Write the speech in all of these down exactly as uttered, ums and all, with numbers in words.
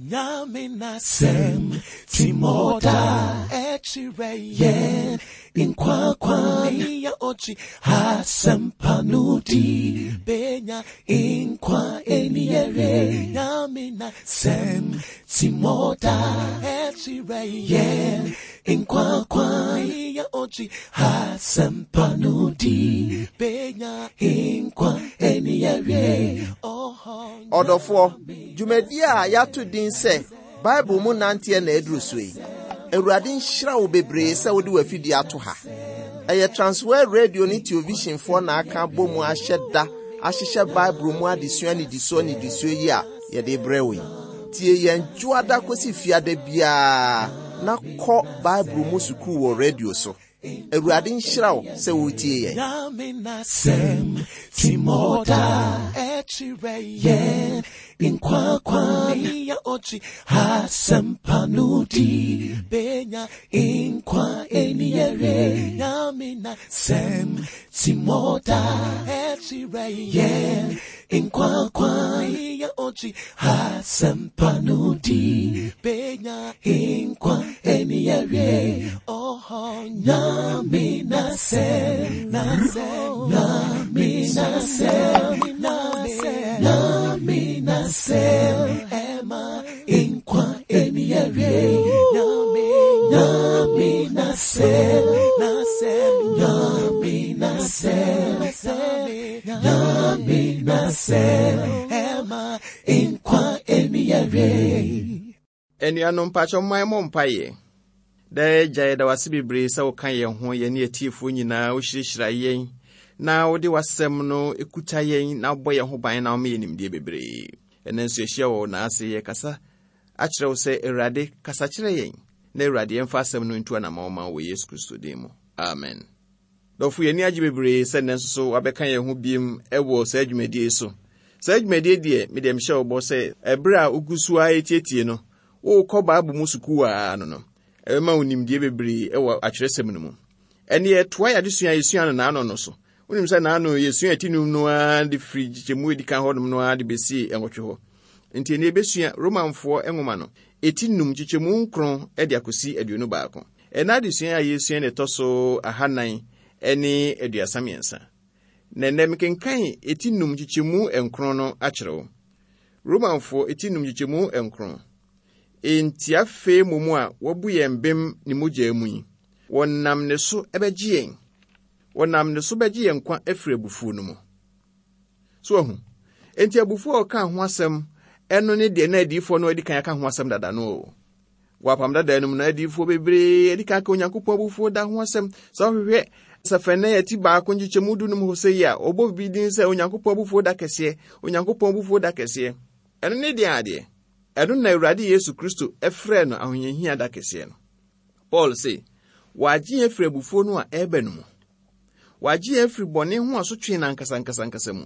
Nyame n'asɛm timɔda ɛkyerɛ yɛn nkwa kwan ya ɔkyi asɛmpa no di benya nkwa ɛni yɛre. Nyame n'asɛm timɔda ɛkyerɛ yɛn nkwa kwan ya ɔkyi asɛmpa no di benya nkwa ɛni yɛre. Ɔdɔfoɔ, dwumadie a yɛato din sɛ Bible mu nanteɛ na aduru so yi. Awurade nhyira wo bebree sɛ wode w'afidie ato ha. Ɛyɛ Transworld Radio ne Televisionfoɔ na aka abɔ mu ahyɛ da ahyehyɛ Bible mu adesua nnidisoɔ nnidisoɔ yi a yɛde brɛ wo yi. Tie yɛn dwoada kɔsi fiada biara na kɔ Bible mu sukuu wɔ radio so. Awurade nhyira wo sɛ woretie yɛn. Nyame n'asɛm timɔda ɛkyerɛ yɛn nkwa kwan ya ɔkyi asɛmpa no di benya nkwa ɛni yɛre. Nyame n'asɛm timɔda ɛkyerɛ yɛn nkwa kwan ya ɔkyi asɛmpa no di benya nkwa ɛni yɛre. Oh, Nyame n'asɛm, n'asɛm, Nyame n'asɛm, n'asɛm, Nyame n'asɛm, ɛma nkwa ɛni yɛre. Nyame, Nyame n'asɛm, n'asɛm, Nyame n'asɛm, Nyame n'asɛm, ɛma nkwa ɛni yɛre. Anuanom, mpakyɛ mman mmɔ mpaeɛ. Daa Agya, yɛda wase bebree sɛ woka yɛn ho, yɛne atiefoɔ nyinaa, wohyirahyira yɛn na wode w'asɛm no ekuta yɛn na wobɔ yɛn ho ban na woma yɛn nimdeɛ bebree. Ɛnɛ nso yɛhyia wɔ wo n'ase, yɛkasa akyerɛ wo sɛ Awurade kasa kyerɛ yɛn na Awurade yɛmfa asɛm no ntu anammɔn ma wɔ Yesu Kristo din mu, amen. Dɔfo, yɛni agye bebree sɛ nnɛ nso so wabɛka yɛn ho biem ɛwɔ saa dwumadie so. Saa dwumadie deɛ, medeɛ mehyɛ wo bɔ sɛ ɛberɛ a wogu so a ɛtietie no, wokɔ Bible mu sukuu a no no ɛbɛma wo nimdeɛ bebree ɛwɔ atwerɛsɛm no mu. Ɛne yɛtoa yɛ adesua a yɛsua no naano no so. Wonim sɛ naano yɛsua ati num no ara de firi kyekyɛmu edi kan hɔnom no ara de bɛsi ɛnwɔtwe hɔ. Nti ɛne yɛbɛsua Romanfoɔ nwoma no eti num kyekyɛmu nkron de akɔsi aduonu baako. Ɛna adesua a yɛsua ne ɛtɔ so ahanan ne aduasa mmiɛnsa. Na ɛnɛ mekenkan eti num kyekyɛmu nkron no akyerɛ wo. Romanfoɔ eti num kyekyɛmu nkron. Enti afei mmom a wabu yɛn bem ne mogya mu yi, wɔnam ne so bɛgye yɛn. Wɔnam ne so bɛgye yɛn nkwa afiri abufuo no mu. So ahu. Enti abufuo a ɔka ho asɛm ɛno ne deɛ na adiyifoɔ no adi kan aka ho asɛm dada no o. Wɔ apam dada no mu na adiyifoɔ bebree adi kan aka Onyankopɔn abufuo da ho asɛm. Sɛ wohwehwɛ Sefania ti baako nkyekyɛmu du num hɔ sɛ yi a, ɔbɔ bi din sɛ Onyankopɔn abufuo da kɛseɛ, Onyankopɔn abufuo da kɛseɛ. Ɛno ne deɛ adeɛ. Ɛno na Awurade Yesu Kristo ɛfrɛɛ no ahohiahia da kɛseɛ no. Paul se, wɔagye yɛn afiri abufuo no a ɛreba no mu. Wɔagye yɛn afiri bɔne ho asotwe no ankasa ankasa ankasa mu.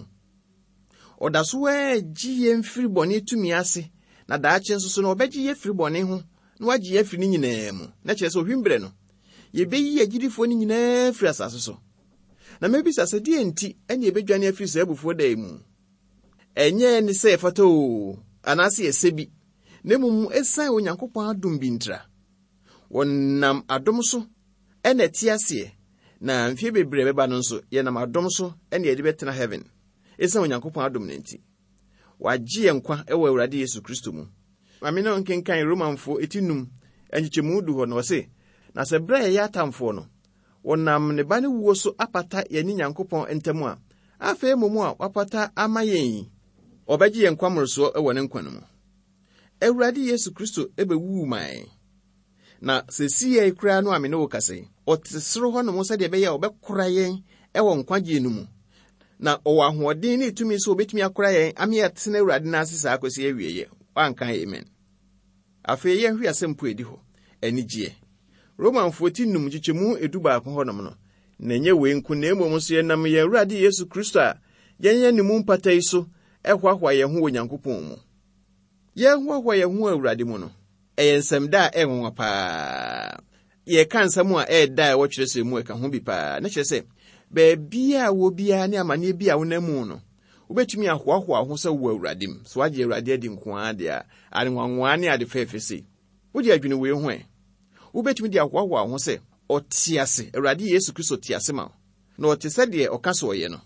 Ɔda so agye yɛn firi bɔne tumi ase, na daakye nso so no ɔbɛgye yɛn afiri bɔne ho na wagye yɛn afiri ne nyinaa mu. Na kyerɛ sɛ ohwim berɛ no, yɛbɛyi agyidifoɔ no nyinaa afiri asase so. Na mɛbisa sɛ deɛ nti ɛne yɛbɛdwane afiri saa abufuo da yi mu? Ɛnyɛ ne sɛ yɛfata o, anaasɛ yɛsɛ bi, na mmom ɛsiane Onyankopɔn adom bi ntira. Wɔnam adom so ɛna ɛte aseɛ, na mfeɛ bebree bɛba no nso, yɛnam adom so ɛna yɛde bɛtena heaven. Ɛsiane Onyankopɔn adom no nti, wagye yɛn nkwa ɛwɔ Awurade Yesu Kristo mu. Maame no nkenkan Romanfoɔ eti num nkyekyɛmu du hɔ no, ɔse, na sɛ berɛ a yɛyɛ atamfoɔ no, wɔnam ne ba no wuo so apata yɛne Nyankopɔn ntam a, afei mmom a wapata ama yɛn yi, ɔbɛgye yɛn nkwa mmorosoɔ ɛwɔ ne nkwa no mu. Awurade Yesu Kristo ɛbɛwuu maa yɛn. Na seesei yi koraa no a me ne wo kasa yi, ɔte soro hɔnom sɛdeɛ ɛbɛyɛ a ɔbɛkora yɛn ɛwɔ nkwagyeɛ no mu. Na ɔwɔ ahoɔden ne tumi sɛ obɛtumi akora yɛn ama yɛatena Awurade no ase saa akɔsi awieeɛ. Wanka amen. Afei yɛnhwɛ asɛm po edi hɔ, anigyeɛ. Romanfoɔ ti num nkyekyɛmu edu baako hɔnom no, na ɛnyɛ wei nko, na mmom nso yɛnam yɛn Awurade Yesu Kristo a yɛnyɛ ne mu mpata yi so ɛhoahoa yɛn ho wɔ Nyankopɔn mu. Yɛhoahoa yɛn ho wɔ Awurade mu no, ɛyɛ nsɛm da a ɛyɛ nwanwa paa. Yɛka nsɛm a ɛyɛ da a ɛwɔ twerɛsɛm mu ɛka ho bi paa. Na kyerɛ sɛ, baabi a wɔ biara ne amanneɛ bi a wonam mu no, Wobɛtumi ahoahoa ho sɛ wowɔ Awurade mu. So woagye Awurade adi nko ara deɛ a, ade nwanwaa ne ade fɛɛfɛ sei. Wode adwene wei ho ɛ. Wobɛtumi de ahoahoa ho sɛ ɔte ase, Awurade Yesu Kristo te ase ma wo. Na ɔte sɛ deɛ ɔka sɛ ɔyɛ no.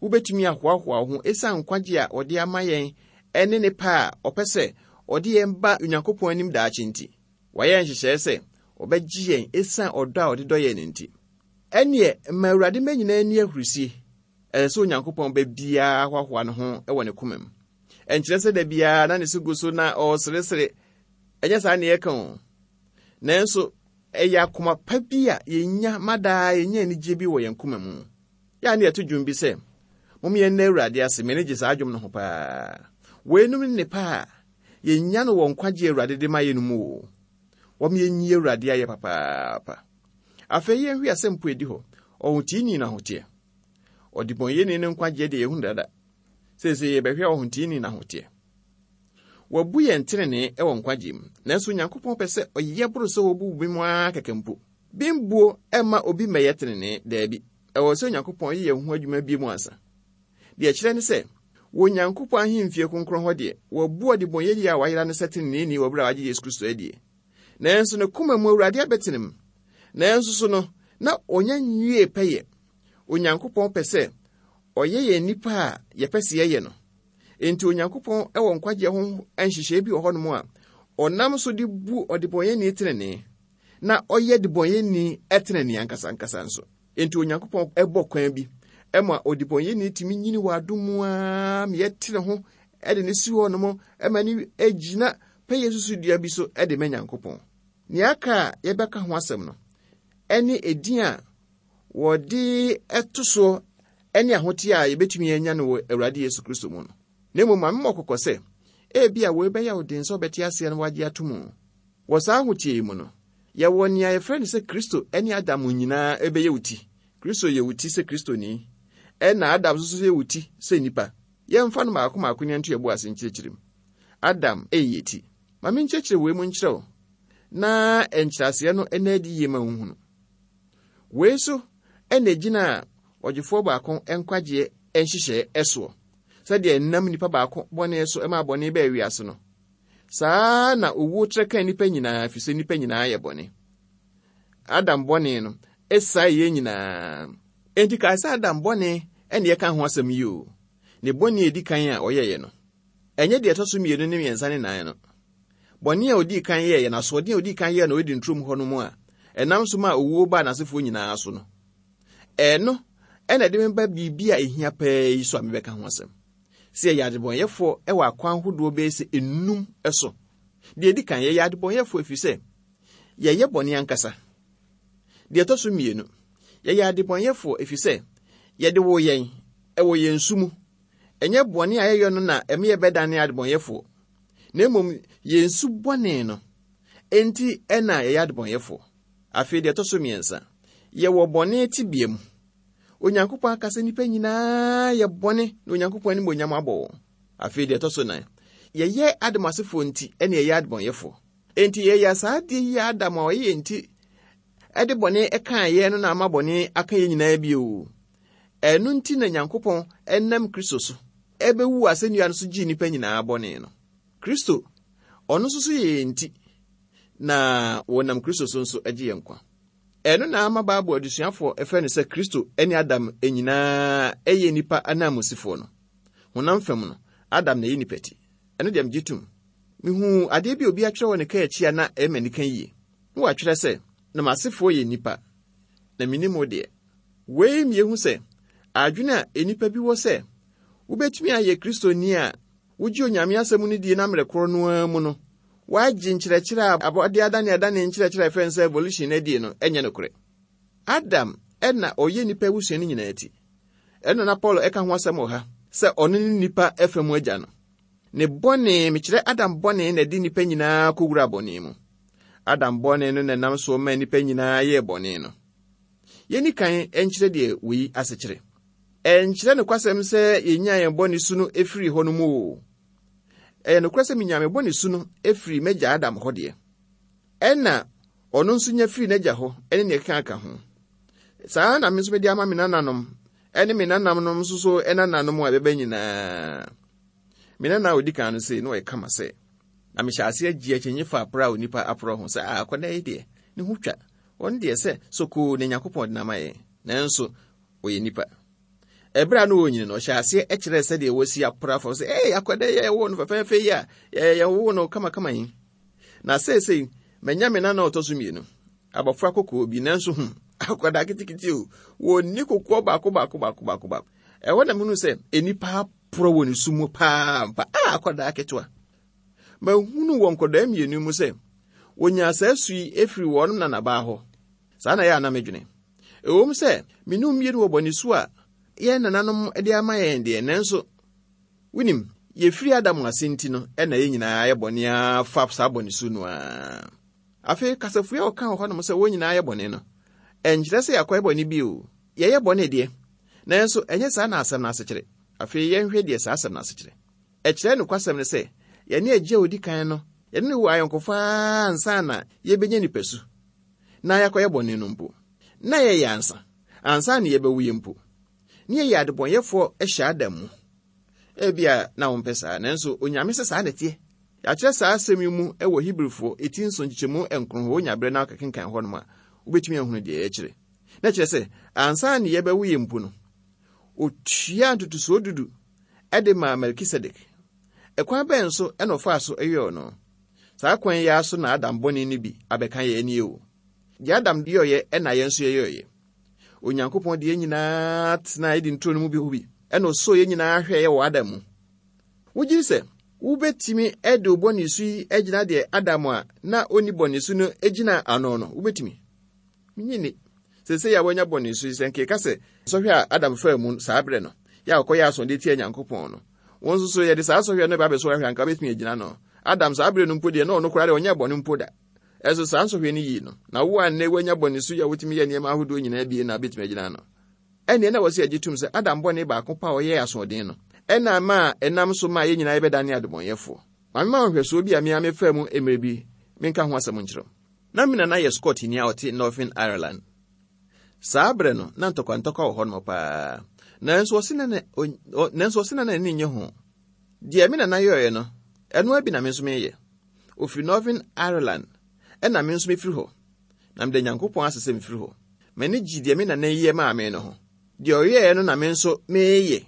Wobɛtumi ahoahoa ho ɛsiane nkwagye a ɔde ama yɛn ɛne ne pɛ a ɔpɛ sɛ ɔde yɛn ba Onyankopɔn anim daakye nti. Wayɛ nhyehyɛe sɛ ɔbɛgye yɛn ɛsiane ɔdɔ a ɔde dɔ yɛn no nti. Ɛneɛ ma Awurade mma nyinaa ani ahurisie. Ɛsɛ sɛ Onyankopɔn ba biara hoahoa ne ho wɔ ne koma mu. Ɛnkyerɛ sɛ da biara na ne so gu so na ɔreseresere. Ɛnyɛ saa ne yɛka o. Nanso ɛyɛ akoma pa bi a yɛnya ma daa yɛnya anigye bi wɔ yɛn koma mu. Yɛa ne yɛto dwom bi sɛ, mom yɛn nna Awurade ase, m'ani gye saa dwom no ho paa. Weinom ne nnepa a yɛnya no wɔ nkwagye Awurade de ma yɛn no mu o. Wɔm yɛnyi Awurade ayɛ papaapa. Afei yɛnhwɛ asɛm po edi hɔ. Ɔhoteeni no ahoteɛ. Ɔdebɔnyɛni no nkwagyeɛ deɛ yɛhu dada. Seesei yɛbɛhwɛ ɔhoteeni no ahoteɛ. Wabu yɛn tenenee wɔ nkwagye mu. Nanso Onyankopɔn pɛ sɛ ɔyɛ boro sɛ wɔbu bi mu ara kɛkɛ mpo. Bimbuo ɛmma obi mmɛyɛ tenenee, daabi. Ɛwɔ sɛ Onyankopɔn yɛ yɛn ho adwuma bi mu ansa. Deɛ ɛkyerɛ ne sɛ, wɔ Onyankopɔn ahemfie kronkron hɔ deɛ, wabu ɔdebɔnyɛni a wayera no sɛ teneneeni wɔ berɛ a wagye Yesu Kristo adie. Nanso ne koma mu Awurade abɛtene mu. Nanso so no, na ɔnya nwie pɛyɛ. Onyankopɔn pɛ sɛ ɔyɛ yɛn nnipa a yɛpɛ sɛ yɛyɛ no. Enti Onyankopɔn wɔ nkwagyeɛ ho nhyehyɛe bi wɔ hɔnom a ɔnam so de bu ɔdebɔnyɛni tenenee na ɔyɛ debɔnyɛni tenenee ankasa ankasa nso. Enti Onyankopɔn bɔ kwan bi ma ɔdebɔnyɛni tumi nyini wɔ adom mu ara ma yɛte ne ho de ne si hɔnom ma ne gyina pɛyɛ susudua bi so de ma Nyankopɔn. Nea aka a yɛbɛka ho asɛm no ɛne edin a wɔde ɛto soɔ ɛne ahoteɛ a yɛbɛtumi anya no wɔ Awurade Yesu Kristo mu no. Na mmom ma memmɔ kɔkɔ sɛ, ebia wei bɛyɛ wo den sɛ wobɛte aseɛ na woagye ato mu. Wɔ saa ahoteɛ yi mu no, yɛwɔ nea yɛfrɛ no sɛ Kristo ne Adam nyinaa ɛbɛyɛ wo ti. Kristo yɛ wo ti sɛ Kristoni, ɛna Adam nso yɛ wo ti sɛ nipa. Yɛmfa no maako maako ne nto yɛbo ase nkyerɛkyerɛ mu. Adam ɛyɛ ti. Ma menkyerɛkyerɛ wei mu nkyerɛ wo, na nkyerɛaseɛ no ɛna adi yie ma wohunu. Wei so ɛna gyina a ɔgyefoɔ baako nkwagyeɛ nhyehyɛɛ ɛsoɔ. Sɛdeɛ ɛnam nipa baako bɔne so ɛma bɔne bɛɛ wiase no, saa na owuo trɛ ka nipa nyinaa, ɛfiri sɛ nipa nyinaa yɛ bɔne. Adam bɔne no ɛsae yɛn nyinaa. Enti kae sɛ Adam bɔne ɛne yɛka ho asɛm yi o. Ne bɔne a edi kan a ɔyɛeɛ no, ɛnyɛ deɛ ɛtɔ so mmienu ne mmiɛnsa ne nan no. Bɔne a odii kan yɛeɛ no, asoɔden a odii kan yɛɛ no Eden turom hɔ no mu a, ɛnam so ma owuo baa n'asefoɔ nyinaa so no. Ɛno ɛna ɛde me ba biribi a ehia pɛɛ yi so a mebɛka ho asɛm. Sɛ yɛyɛ adebɔnyɛfoɔ ɛwɔ akwan ahodoɔ bɛyɛ sɛ enum so. Deɛ edi kan, yɛyɛ adebɔnyɛfoɔ ɛfiri sɛ yɛyɛ bɔne ankasa. Deɛ ɛtɔ so mmienu, yɛyɛ adebɔnyɛfoɔ ɛfiri sɛ yɛde wo yɛn ɛwɔ yɛn su mu. Ɛnyɛ bɔne a yɛyɛ no na ɛma yɛbɛdane adebɔnyɛfoɔ. Na mmom yɛn su bɔne no enti ɛna yɛyɛ adebɔnyɛfoɔ. Afei deɛ ɛtɔ so mmiɛnsa, yɛwɔ bɔne tebea mu. Onyankopɔn aka sɛ nnipa nyinaa yɛ bɔne na Onyankopɔn animuonyam abɔ wɔn. Afei deɛ ɛtɔ so nan, yɛyɛ Adam asefoɔ nti ɛna yɛyɛ adebɔnyɛfoɔ. Enti yɛyɛ saa adeɛ yi a Adam a ɔyɛ yɛn nti ɛde bɔne ɛkaa yɛn no na ama bɔne aka yɛn nyinaa bio. Ɛno nti na Nyankopɔn ɛnam Kristo so ɛbɛwu asɛnnua no so gyee nnipa nyinaa bɔne no. Kristo, ɔno nso so yɛ yɛn nti, na wɔnam Kristo so nso agye yɛn nkwa. Ɛno na ama Bible adesuafoɔ ɛfrɛ no sɛ Kristo ne Adam nyinaa ɛyɛ nnipa ananmusifoɔ no. Honam fam no, Adam na ɛyɛ nipa ti. Ɛno deɛ megye tom. Mihuu adeɛ bi a obi atwerɛ wɔ ne kaa akyi a na ɛyɛ m'anika yie. Na watwerɛ sɛ, na m'asefoɔ yɛ nnipa, na minnim wo deɛ. Wei miehu sɛ, adwene a nnipa bi wɔ sɛ wobɛtumi ayɛ Kristoni a wogye Onyame asɛm no die na mmerɛ korɔ no ara mu no, woagye nkyerɛkyerɛ a abɔde adane adane nkyerɛkyerɛ a ɛfrɛ no sɛ evolution no adie no ɛnyɛ nokorɛ. Adam ɛna ɔyɛ nnipa abusua no nyinaa ti. Ɛno na Paul ɛka ho asɛm wɔ ha sɛ ɔno ne nnipa ɛfa mu agya no. Ne bɔne, mekyerɛ Adam bɔne na ɛde nnipa nyinaa kɔwura bɔne mu. Adam bɔne no na ɛnam soɔ ma nnipa nyinaa yɛɛ bɔne no. Yɛnni kan nkyerɛ deɛ wei asekyerɛ. Ɛnkyerɛ nokwasɛm sɛ yɛnyaa yɛn bɔne su no ɛfiri hɔ no mu o. Ɛyɛ nokorɛ sɛ menyaa me bɔne su no ɛfiri m'agya Adam hɔ deɛ. Ɛna ɔno nso nya firi n'agya hɔ ɛne nea ɛkeka ka ho. Saa na me nso mede ama me nananom Ɛne me nananom nso so ɛnananom a ɛbɛba nyinaa. Me nana a odi kan no sei na ɔyɛ kama sɛ. Na mehyɛ ase agye akyinye fa aprɔ a onipa aprɔ ho sɛ a akwadaa yi deɛ ne ho twa. Wɔn deɛ sɛ sokoo ne Nyankopɔn de nama yɛn. Nanso ɔyɛ nipa. Ɛberɛ a na ɔnyini no, ɔhyɛ aseɛ kyerɛ sɛdeɛ wɔsi aprɔ afa sɛ ee akwadaa yi a yɛwoo no fɛfɛɛfɛ yi a yɛwoo no kamakama yi. Na seesei manya me nana a ɔtɔ so mmienu. Abɔfra kɔkɔɔ bi nanso hmm akwadaa ketekete o wɔnni kokoɔ baako baako baako baako baako. Ɛhɔ na mehunu sɛ nnipa aporɔ wɔ ne su mu paa mpa a akwadaa ketewa. Mahunu wɔ nkwadaa mmienu mu sɛ wɔnyaa saa su yi efiri wɔn nanabaa hɔ. Saa na ɛyɛ a na medwene. Ɛwom sɛ me ne mmienu wɔ bɔne su a yɛn nananom de ama yɛn deɛ, nanso wonim yɛfiri Adam ase nti no ɛna yɛn nyinaa yɛ bɔne afa saa bɔne su no ara. Afei kasafua a ɔka wɔ hɔnom sɛ wɔn nyinaa yɛ bɔne no, ɛnkyerɛ sɛ yɛakɔyɛ bɔne bi o. Yɛyɛ bɔne deɛ, nanso ɛnyɛ saa na asɛm no ase kyerɛ. Afei yɛnhwɛ deɛ saa asɛm no ase kyerɛ. Ɛkyerɛ nokwasɛm no sɛ yɛne agya a odi kan no, yɛne no wɔ ayɔnkofa ansa na yɛbɛnya nipasu na yɛakɔyɛ bɔne no mpo. Na yɛyɛ ansa, ansa na yɛbɛwo yɛ mpo. Ne yɛyɛ adebɔnyɛfoɔ hyɛ Adam mu. Ebia na wompɛ saa, nanso Onyame sɛ saa na ɛteɛ. Yɛakyerɛ saa asɛm yi mu wɔ Hebrifoɔ eti nson nkyekyɛmu nkron hɔ, wonya berɛ na woakɛkenkan hɔnom a, wobɛtumi ahunu deɛ yɛkyerɛ. Na kyerɛ sɛ, ansa na yɛbɛwo yɛ mpo no, otua ntotosoɔ dudu ɛde maa Melkisedek. Ɛkwan bɛn so ɛna ɔfaa so yɛɛ no? Saa kwan yi ara so na Adam bɔne no bi abɛka yɛn ani o. Deɛ Adam yɛeɛ ɛna yɛn nso yɛyɛeɛ. Onyankopɔn de yɛn nyinaa tena Eden turo no mu bi hɔ bi, ɛna ɔsɔɔ yɛn nyinaa hwɛeɛ wɔ Adam mu. Wogye di sɛ wobɛtumi de wo bɔne su yi agyina deɛ Adam a na ɔnni bɔne su no gyina ano no, wobɛtumi? Menye ni. Seesei a woanya bɔne su yi, sɛ nkeka sɛ sɔhwɛ a Adam faa mu saa berɛ no, yɛ a ɔkɔyɛ asɔnde tia Nyankopɔn no, wɔn nso so yɛde saa sɔhwɛ no ba abɛsɔ ahwɛ anka wobɛtumi agyina no. Adam saa berɛ no mpo deɛ na ɔno koraa deɛ ɔnyɛ bɔne mpo da. Ɛso saa nsɔhwɛ no yii no, na wo a nnɛ woanya bɔne su yi a wotumi yɛ nneɛma ahodoɔ nyinaa bie na wobɛtumi agyina no. Ɛnneɛ na wɔsɛ yɛgye tom sɛ Adam bɔne baako pa a ɔyɛɛ asoɔden no, ɛna ma a ɛnam so ma yɛn nyinaa yɛbɛdane adebɔnyɛfoɔ. Ma mema wo nhwɛsoɔ bi a me a mefaa mu mmerɛ bi menka ho asɛm nkyerɛ wo. Na me nana yɛ Scottni a ɔte Northern Ireland. Saa berɛ no, na ntɔkwantɔkwa wɔ hɔnom paa. Nanso ɔse na nanso ɔse na n'ani nnye ho. Deɛ me nana yɛeɛ no, ɛno ara bi na me nso meyɛ. Ofiri Northern Ireland, ɛna me nso mefiri hɔ. Na meda Nyankopɔn ase sɛ mefiri hɔ. M'ani gye deɛ me nana yɛ maa me no ho. Deɛ ɔyɛeɛ no na me nso meyɛ.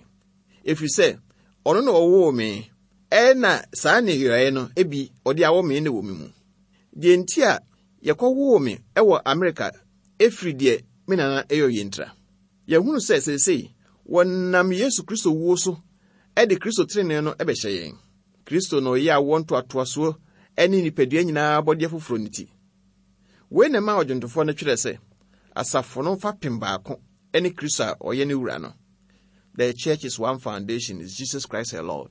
Ɛfiri sɛ, ɔno na ɔwoo me, ɛna saa nneyɔeɛ no ebi ɔde awɔ me na wɔ me mu. Deɛ nti a yɛkɔwoo me ɛwɔ Amerika ɛfiri deɛ me nana ɛyɛ ɔyɛ ntira. Yɛhunu sɛ seesei wɔnam Yesu Kristo wuo so ɛde Kristo tenenee no ɛbɛhyɛ yɛn. Kristo na ɔyɛ awoɔ ntoatoasoɔ ɛne nipadua nyinaa abɔdeɛ foforɔ no ti. Wei na ɛma ɔdwontofoɔ no twerɛ sɛ, asafo no fapem baako ɛne Kristo a ɔyɛ ne wura no. The church is one foundation, is Jesus Christ our Lord.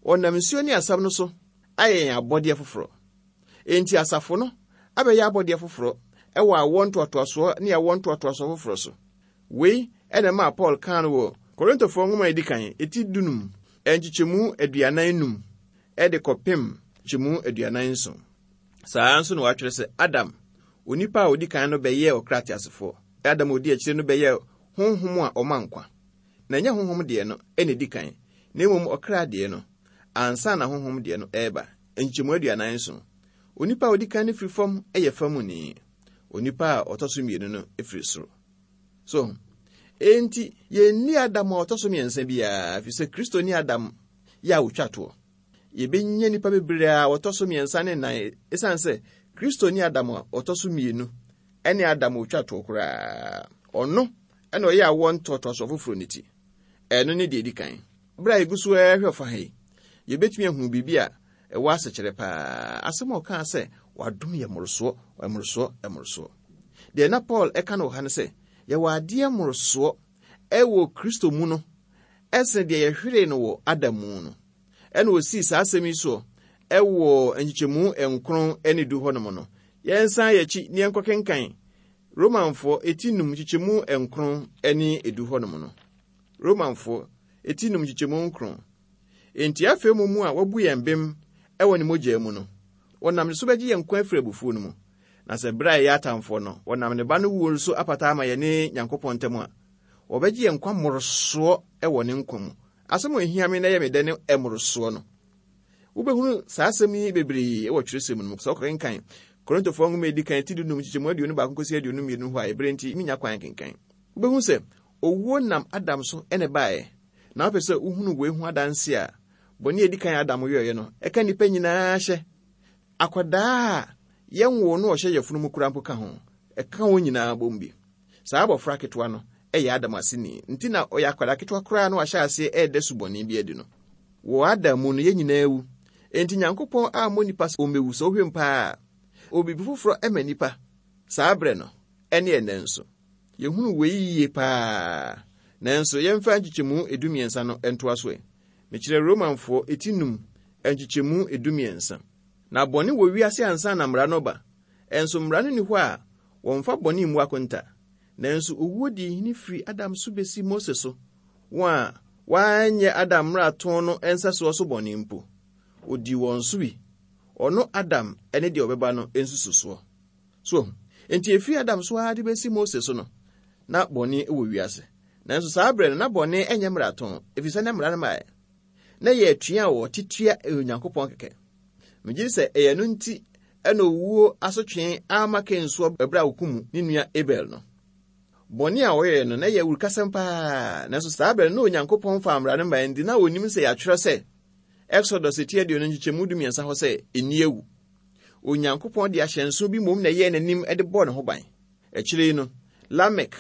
Ɔnam nsuo ne asɛm no so ayɛ yɛn abɔdeɛ foforɔ. Enti asafo no abɛyɛ abɔdeɛ foforɔ ɛwɔ awoɔ ntoatoasoɔ ne awoɔ ntoatoasoɔ foforɔ so. Wei ɛna ɛmaa Paul kaa no wɔ Korintofoɔ nwoma a edi kan, eti dunum, nkyekyɛmu aduanan num, ɛde kɔpem nkyɛmu aduanan nson. Saa nso na wɔatwerɛ sɛ Adam, onipa a odi kan no bɛyɛɛ ɔkra teasefoɔ. Adam a odi akyire no bɛyɛɛ honhom a ɔma nkwa. Na ɛnyɛ honhom deɛ no ɛna edi kan, na mmom ɔkra deɛ no, ansa na honhom deɛ no ɛreba. Nkyɛmu aduanan nson. Onipa a odi kan no firi fam yɛ famuni. Onipa a ɔtɔ so mmienu no firi soro. So, enti yɛnni Adam a ɔtɔ so mmiɛnsa biara, ɛfiri sɛ Kristo ne Adam yɛ a wotwa toɔ. Yɛbɛnya nnipa bebree a wɔtɔ so mmiɛnsa ne nnan, ɛsiane sɛ Kristo ne Adam a ɔtɔ so mmienu ɛne Adam a otwa toɔ koraa. Ɔno ɛna ɔyɛ awoɔ ntoatoasoɔ foforɔ ne ti. Ɛno ne deɛ edi kan. Berɛ a yɛgu so ɛrehwɛ ɔfa ha yi, yɛbɛtumi ahunu biribi a ɛwɔ asekyerɛ paa. Asɛm a ɔkaa sɛ wadom yɛ mmorosoɔ, mmorosoɔ, mmorosoɔ. Deɛ na Paul ɛka no wɔ ha ne sɛ, yɛwɔ adeɛ mmorosoɔ ɛwɔ Kristo mu no, ɛsene deɛ yɛhweree no wɔ Adam mu no. Ɛna osii saa asɛm yi soɔ ɛwɔ nkyekyɛmu nkron ne du hɔnom no. Yɛnsan yɛkyi ne yɛnkɔkenkan Romanfoɔ eti num nkyekyɛmu nkron ne edu hɔnom no. Romanfoɔ eti num nkyekyɛmu nkron. Enti afei mu mu a wabu yɛn bem ɛwɔ ne mogya mu no, wɔnam ne so bɛgye yɛn nkwa afiri abufuo no mu. Na sɛ berɛ a yɛyɛ atamfoɔ no, wɔnam ne ba no wuo so apata ama yɛne Nyankopɔn ntam a, Wɔbɛgye yɛn nkwa mmorosoɔ wɔ ne nkwa mu. Asɛm a ehia me na ɛyɛ me dɛ ne mmorosoɔ no. Wobɛhunu saa asɛm yi bebree wɔ twerɛsɛm no mu. Sɛ wokɔkenkan Korintofoɔ nwoma a edi kan ti dunum nkyekyɛmu aduonu baako kɔsi aduonu mmienu hɔ a, ɛberɛ nti menya kwan kenkan. Wobɛhu sɛ owuo nam Adam so ɛna ɛbaeɛ. Na wopɛ sɛ wohunu wei ho adanse a, bɔne a edi kan Adam yɛeɛ no, ɛka nnipa nyinaa hyɛ. Akwadaa a yɛnwoo no a ɔhyɛ yafunu mu koraa mpo ka ho. Ɛka wɔn nyinaa bom bi. Saa abɔfra ketewa no ɛyɛ Adam aseni. Nti na ɔyɛ akwadaa ketewa koraa na wahyɛ aseɛ ɛreda subɔne bi adi no. Wɔ Adam mu no, yɛn nyinaa wu. Enti Nyankopɔn ammɔ nnipa sɛ ɔmmɛwu. Sɛ wohwɛ mu paa, ɔwɔ biribi foforɔ ɛma nnipa saa berɛ no, ɛne ɛnnɛ nso. Yɛhunu wei yie paa. Nanso yɛmfa nkyekyɛmu edumiɛnsa no ntoa so ɛ. Mekyerɛ Romanfoɔ eti num nkyekyɛmu edumiɛnsa. Na bɔne wɔ wiase ansa na mmara no ba. Ɛnso mmara no nni hɔ a wɔmfa bɔne mmu akonta. Nanso owuo dii hene firi Adam so besi Mose so, wɔn a wɔanyɛ Adam mmarato no nsɛsoɔ so bɔne mpo. Odii wɔn so bi. Ɔno Adam ne deɛ ɔbɛba no nsususoɔ. So, enti efiri Adam so ara de besi Mose so no, na bɔne wɔ wiase. Nanso saa berɛ no, na bɔne nyɛ mmarato, ɛfiri sɛ na mmara no maeɛ. Na yɛ atua a wɔte tua Onyankopɔn kɛkɛ. Megye di sɛ ɛyɛ no nti ɛna owuo asotwe ama Kain soɔ ɛberɛ a okum ne nua Abel no. Bɔne a wɔyɛɛ no na ɛyɛ awurukasɛm paa. Nanso saa berɛ no, na Onyankopɔn fa mmara no mae nti na onim sɛ yɛatwerɛ sɛ Exodus ti aduonu nkyekyɛmu dumiɛnsa hɔ sɛ ɛnni awu. Onyankopɔn de ahyɛnso bi mmom na ɛyɛɛ n'anim de bɔɔ ne ho ban. Akyire yi no, Lamek,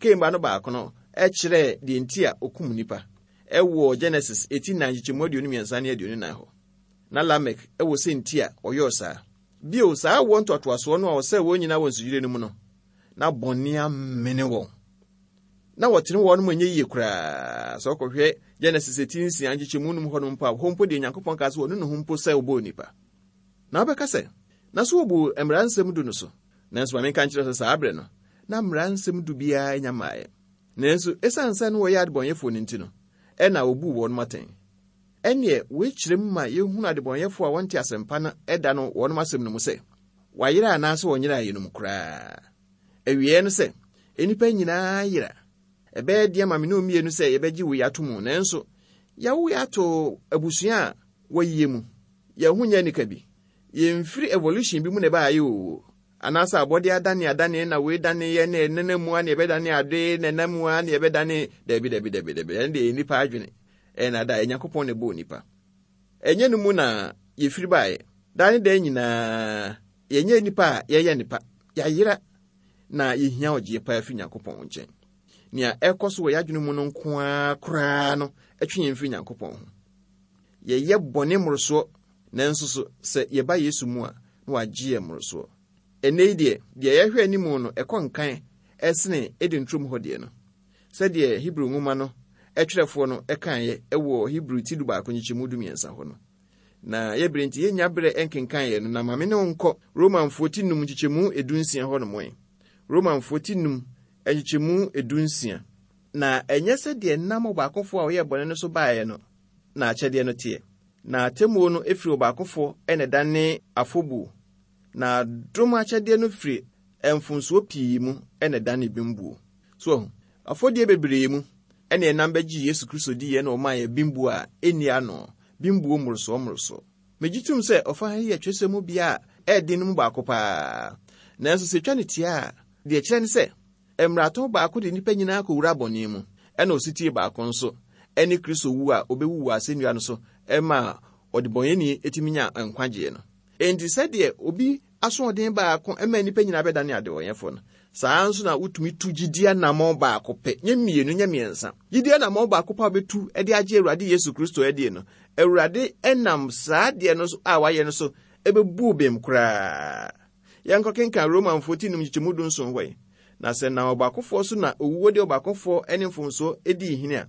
Kain ba no baako no, ɛkyerɛɛ deɛ nti a okum nipa ɛwɔ Genesis eti nnan nkyekyɛmu aduonu mmiɛnsa ne aduonu nan hɔ. Na Lamek ɛwɔ sɛ nti a ɔyɔɔ saa. Bio, saa awoɔ ntoatoasoɔ no a ɔsɛe wɔn nyinaa wɔ nsuyire no mu no, na bɔne amene wɔn. Na wɔtene wɔn mu nyɛ yie koraa. Sɛ ɔkɔhwɛ Genesis eti nsia nkyekyɛmu num hɔ no mpo a, hɔ mpo deɛ Nyankopɔn kaa sɛ ɔno ne ho mpo sɛ ɔbɔɔ nipa. Na wobɛka sɛ, na so wɔbu mmara nsɛm du no so. Nanso ma menka nkyerɛ sɛ saa berɛ no, na mmara nsɛm du biara nya mmaeɛ. Nanso ɛsiane sɛ na wɔyɛ adebɔnyɛfoɔ no nti no, ɛna wɔbuu wɔn atɛn. Ɛnneɛ wei kyerɛ mu ma yɛhunu adebɔnyɛfoɔ a wɔnte asɛmpa no ɛda no wɔn asɛm no mu sɛ, wɔayera anaasɛ wɔnyera yɛnom koraa. Awieeɛ no sɛ, nnipa nyinaa yera. Ɛbɛyɛ deɛ ma me ne mmienu sɛ yɛbɛgye wei ato mu, nanso yɛawo yɛ ato abusua a wɔyie mu. Yɛn ho nyɛ nika bi. Yɛmfiri evolution bi mu na ɛbaayɛ o. Anaasɛ abɔde adane adane na wei dane yɛ na ɛnenam mu a na yɛbɛdane ade na ɛnam mu a na yɛbɛdane dabi dabi dabi dabi. Ɛno deɛ nnipa adwene. Ɛna da Nyankopɔn na ɛbɔɔ nipa. Ɛnyɛ no mu na yɛfiri baeɛ. Daa ne daa nyinaa yɛnyɛ nipa a yɛyɛ nipa. Yɛayera na yɛhia ɔgyeɛ paa firi Nyankopɔn nkyɛn. Nea ɛkɔ so wɔ yɛadwene mu no nko ara koraa no ɛtwe yɛn firi Nyankopɔn ho. Yɛyɛ bɔne mmorosoɔ, nanso so sɛ yɛba Yesu mu a, na wagye yɛn mmorosoɔ. Ɛnnɛ yi deɛ, deɛ yɛhwɛ anim no ɛkɔ nkan ɛsene Eden turom hɔ deɛ no. Sɛdeɛ Hebrew nwoma no ɛtwerɛfoɔ no ɛkaeɛ ɛwɔ Hebrew ti du baako nkyekyɛmu du mmiɛnsa hɔ no. Na yɛbere nti yɛnnya berɛ ɛnkenkan yɛ no, na ma me ne wo nkɔ Romanfoɔ ti num nkyekyɛmu edu nsia hɔ nom ɛ. Romanfoɔ ti num nkyekyɛmu edu nsia. Na ɛnyɛ sɛ deɛ nam ɔbaakofoɔ a ɔyɛɛ bɔne no so baeɛ no na akyɛdeɛ no teɛ. Na atemmuo no efiri ɔbaakofoɔ ɛna ɛdane afɔbuo. Na dom akyɛdeɛ no firi mfomsoɔ pii mu ɛna ɛdane bembuo. So afɔdeɛ bebree mu ɛna ɛnam bɛgye Yesu Kristo diiɛ na ɔmaa yɛ bembuo a ɛnni ano, bembuo mmorosoɔ mmorosoɔ. Megye tom sɛ ɔfa yi yɛ twerɛsɛm mu bea a ɛyɛ no mu baako paa. Nanso sɛ etwa ne tia a, deɛ ɛkyerɛ ne sɛ mmarato baako de nnipa nyinaa kɔwura bɔne mu, ɛna osetie baako nso ɛne Kristo wu a obɛwu wɔ asɛnnua no so ɛma ɔdebɔnyɛni etumi nya nkwagyeɛ no. Enti sɛdeɛ obi asoɔden baako ɛma nnipa nyinaa bɛdane adebɔnyɛfoɔ no, saa nso na wotumi tu gyidie anammɔn baako pɛ, nyɛ mmienu, nyɛ mmiɛnsa. Gyidie anammɔn baako pɛ a wobɛtu de agye Awurade Yesu Kristo adie no, Awurade ɛnam saa deɛ no so a wayɛ no so ɛbɛbu bem koraa. Yɛnkɔ kenkan Romanfoɔ ti num nkyekyɛmu du nson hɔ yi. Na sɛ na ɔbaakofoɔ so na owuo de ɔbaakofoɔ ne mfomsoɔ dii hene a,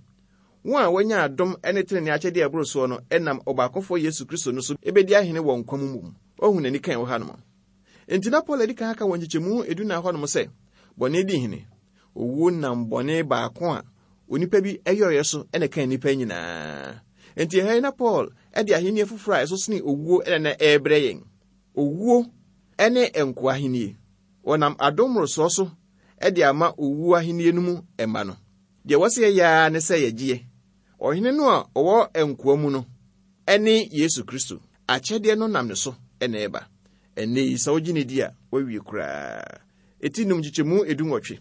wɔn a wɔanya adom ne tenenee akyɛdeɛ a ɛboro soɔ no ɛnam ɔbaakofoɔ Yesu Kristo no so ebɛdi ahene wɔ nkwa mu mu. Ɔhu n'ani kan wɔ hanom. Enti na Paul adi kan aka wɔ nkyekyɛmu edu nan hɔnom sɛ, bɔne di hene. Owuo nam bɔne baako a onipa bi ɛyɔeɛ so ɛna ɛka nnipa nyinaa. Enti ɛha yi na Paul ɛde ahenni foforɔ a ɛso sene owuo ɛna na ɛrebrɛ yɛn. Owuo ɛne nkoa ahenni. Wɔnam adom mmorosoɔ so ɛde ama owuo ahenni no mu ɛma no. Deɛ wɔsɛ yɛyɛ ara ne sɛ yɛgyeɛ. Ɔhene no a ɔwɔ nkoa mu no ɛne Yesu Kristo. Akyɛdeɛ no nam ne so ɛna ɛba. Ɛnnɛ yi sɛ wogye ne di a, wawie koraa. Eti num nkyekyɛmu edu nwɔtwe.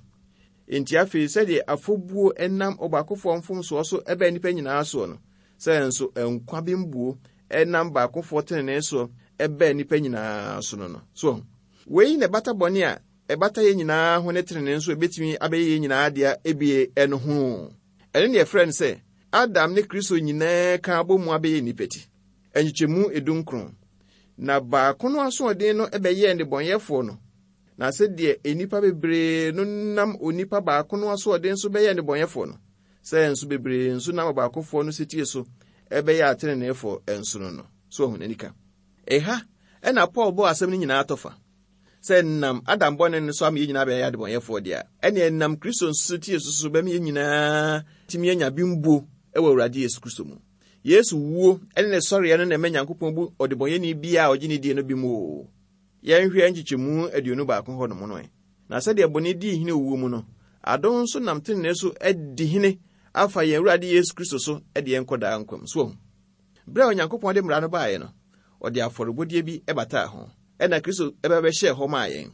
Enti afei sɛdeɛ afɔbuo ɛnam ɔbaakofoɔ mfomsoɔ so ɛbɛn nnipa nyinaa soɔ no, sɛ nso nkwa bembuo ɛnam baakofoɔ tenenee soɔ ɛbɛn nnipa nyinaa so no no. So, wei na ɛbata bɔne a ɛbata yɛn nyinaa ho ne tenenee nso ebetumi abɛyɛ yɛn nyinaa dea ebie ɛno ho. Ɛno ne yɛfrɛ no sɛ Adam ne Kristo nyinaa ka abɔ mu abɛyɛ nnipa ti. Nkyekyɛmu edu nkron. Na baako no asoɔden no ɛbɛyɛɛ nnebɔneyɛfoɔ no. Na sɛdeɛ nnipa bebree no nam onipa baako no asoɔden so bɛyɛɛ nnebɔneyɛfoɔ no, sɛ nso bebree nso nam ɔbaakofoɔ no setie so ɛbɛyɛ ateneneefoɔ nso no no. So ɔho n'ani ka. Ɛha ɛna Paul bɔɔ asɛm no nyinaa tɔfa. Sɛ nam Adam bɔne no so ama yɛn nyinaa bɛyɛ adebɔnyɛfoɔ deɛ a, ɛne ɛnam Kristo nso setie so so bɛma yɛn nyinaa tumi anya bembuo ɛwɔ Awurade Yesu Kristo mu. Yesu wuo ɛne ne sɔreɛ no na ɛma Nyankopɔn bu ɔdebɔnyɛni biara a ɔgye ne die no bi mu o. Yɛnhwɛ nkyekyɛmu aduonu baako hɔ nom no ɛ. Na sɛdeɛ bɔne dii hene owuo mu no, adom nso nam tenenee so adi hene afa yɛn Awurade Yesu Kristo so de yɛn kɔ daa nkwa mu. So wahu. Berɛ a Onyankopɔn de mmara no baeɛ no, ɔde afɔrebɔdeɛ bi bataa ho. Ɛna Kristo ɛbɛbɛhyɛɛ hɔ maa yɛn.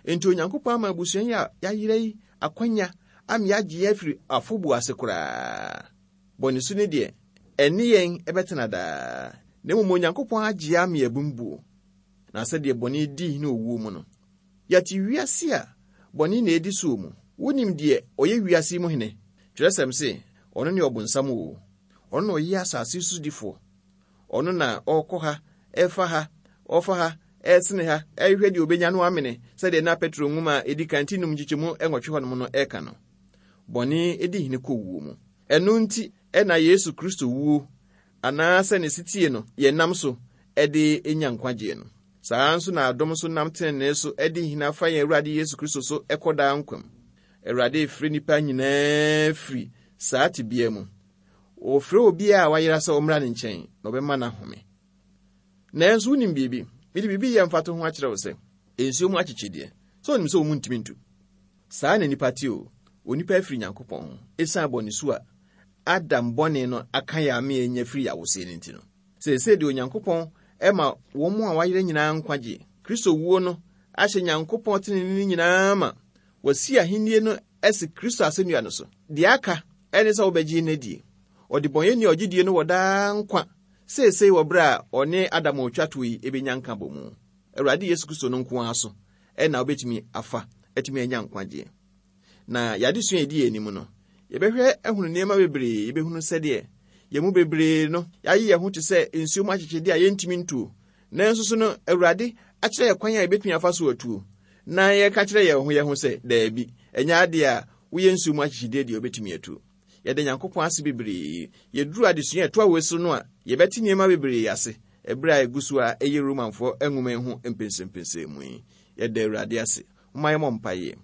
Enti Onyankopɔn ama abusua yi a yɛayera yi akwanya ama yɛagye yɛn afiri afɔbuo ase koraa. Bɔne su ne deɛ, ɛne yɛn ɛbɛtena daa. Na mmom Onyankopɔn agye ama yɛn bembuo. Na sɛdeɛ bɔne dii hene owuo mu no, yɛte wiase a bɔne na edi soɔ mu. Wonim deɛ ɔyɛ wiase yi mu hene. Twerɛsɛm se, ɔno ne ɔbonsam o. Ɔno na ɔyɛ asase so difoɔ. Ɔno na ɔrekɔ ha, ɛfa ha, ɔfa ha, ɛsene ha, ɛhwehwɛ deɛ obenya no amene, sɛdeɛ na Petro nwoma a edi kan ti num nkyekyɛmu nwɔtwe hɔnom no ɛreka no. Bɔne edi hene kɔ wuo mu. Ɛno nti ɛna Yesu Kristo wuo anaasɛ ne setie no yɛnam so ɛde enya nkwagyeɛ no. Saa nso na adom nso nam tenenee so ɛde hene afa yɛn Awurade Yesu Kristo so ɛkɔ daa nkwa mu. Awurade efiri nnipa nyinaa firi saa tebea mu. Wɔfrɛ obiara a wayera sɛ ɔmmra ne nkyɛn na ɔbɛma no ahome. Nanso wonim biribi, mede biribi yɛ mfato ho akyerɛ wo sɛ, nsuo mu akyekyedeɛ, sɛ onim sɛ wɔn ntumi ntu. Saa na nipa te o, onipa afiri Nyankopɔn ho, esiane bɔne su a Adam bɔne no aka yɛ ame anya firi yɛawoseɛ no nti no. Seesei deɛ Onyankopɔn ɛma wɔn a wayera nyinaa nkwagye. Kristo wuo no ahyɛ Nyankopɔn tenenee no nyinaa ma wɔasi ahennie no asi Kristo asennua no so. Deɛ aka ɛne sɛ wobɛgye no adie. Ɔdebɔnyɛni a ɔgye die no wɔ daa nkwa seesei wɔ berɛ a ɔne Adam a ɔtwa toɔ yi ebɛnya nka bɔ mu. Awurade Yesu Kristo no nko ara so ɛna wobɛtumi afa atumi anya nkwagyeɛ. Na yɛadesua a ɛdi yɛn anim no, yɛbɛhwɛ ahunu nneɛma bebree, yɛbɛhunu sɛdeɛ yɛn mu bebree no yɛayɛ yɛn ho te sɛ nsuo mu akyekyedeɛ a yɛntumi ntuo. Nanso so no, Awurade akyerɛ yɛn kwan a yɛbɛtumi afa so atuo. Na yɛka kyerɛ yɛn ho yɛn ho sɛ, daabi, ɛnyɛ adeɛ a woyɛ nsuo mu akyekyedeɛ deɛ wobɛtumi atuo. Yɛda Nyankopɔn ase bebree. Yɛduru adesua a ɛtoa wei so no a, yɛbɛte nneɛma bebree ase ɛberɛ a ɛgu so a ɛyɛ Romanfoɔ nwoma yi ho mpɛnsɛmpɛnsɛmu yi. Yɛda Awurade ase. Momma yɛmmɔ mpaeɛ.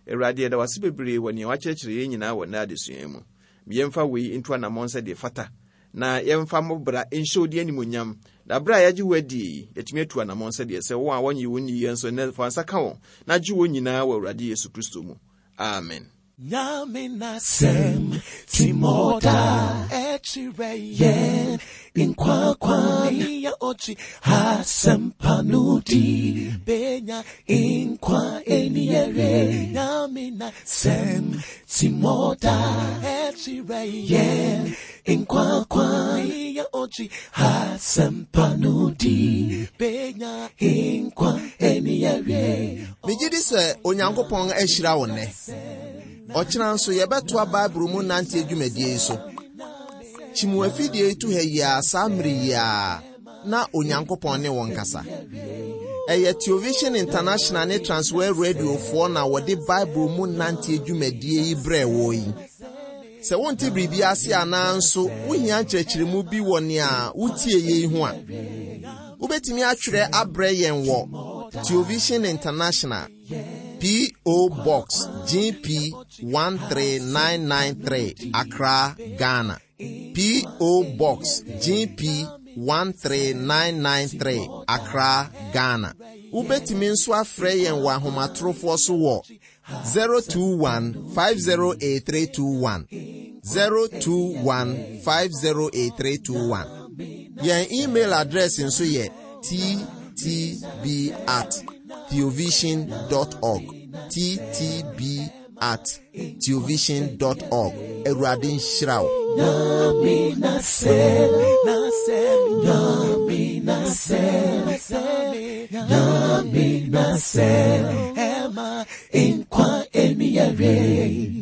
Awurade, yɛda wo ase bebree wɔ nea wakyerɛkyerɛ yɛn nyinaa wɔ nnɛ adesua yi mu. Yɛmfa wei nto anammɔn sɛdeɛ fata, na yɛmfa mmɔbra nhyɛ wo din animuonyam. Na berɛ a yɛagye wo adie yi, yɛtumi atu anammɔn sɛdeɛ sɛ wɔn a wɔnnye wo nni yɛn nso nnɛ fa nsa ka wɔn, na gye wɔn nyinaa wɔ Awurade Yesu Kristo mu. Amen. Nyame nasɛm timoda ɛkyerɛ yɛn nkwa kwan ya ɔkyi asɛmpa no di benya nkwa eni yɛre. Nyame nasɛm timoda ɛkyerɛ yɛn nkwa kwan ya ɔkyi asɛmpa no di benya nkwa eni yɛre. Megye di sɛ Onyankopɔn ahyira wo nnɛ. Ɔkyena nso yɛbɛtoa Bible mu nante dwumadie yi so. Kyimu afidie yi to ha yi ara saa mmere yi ara na Onyankopɔn ne wɔn kasa. Ɛyɛ Television International ne Transworld Radiofoɔ na wɔde Bible mu nante dwumadie yi brɛɛ wɔ yi. Sɛ wonte biribi ase anaa nso wohia nkyerɛkyerɛmu bi wɔ nea wotie yi ho a, wobɛtumi atwerɛ abrɛ yɛn wɔ Television International, P O. Box G P one three nine nine three, Accra, Ghana. P O. Box G P one three nine nine three, Accra, Ghana. Wobɛtumi nso afrɛ yɛn wɔ ahomatorofoɔ so wɔ zero two one five zero eight three two one, zero two one five zero eight three two one. Yɛn email address nso yɛ T T B at theovision dot org, T T B at theovision dot org. Awurade nhyira wo. Nyame nasɛm, Nyame nasɛm, Nyame nasɛm, ɛma nkwa ɛni yɛre.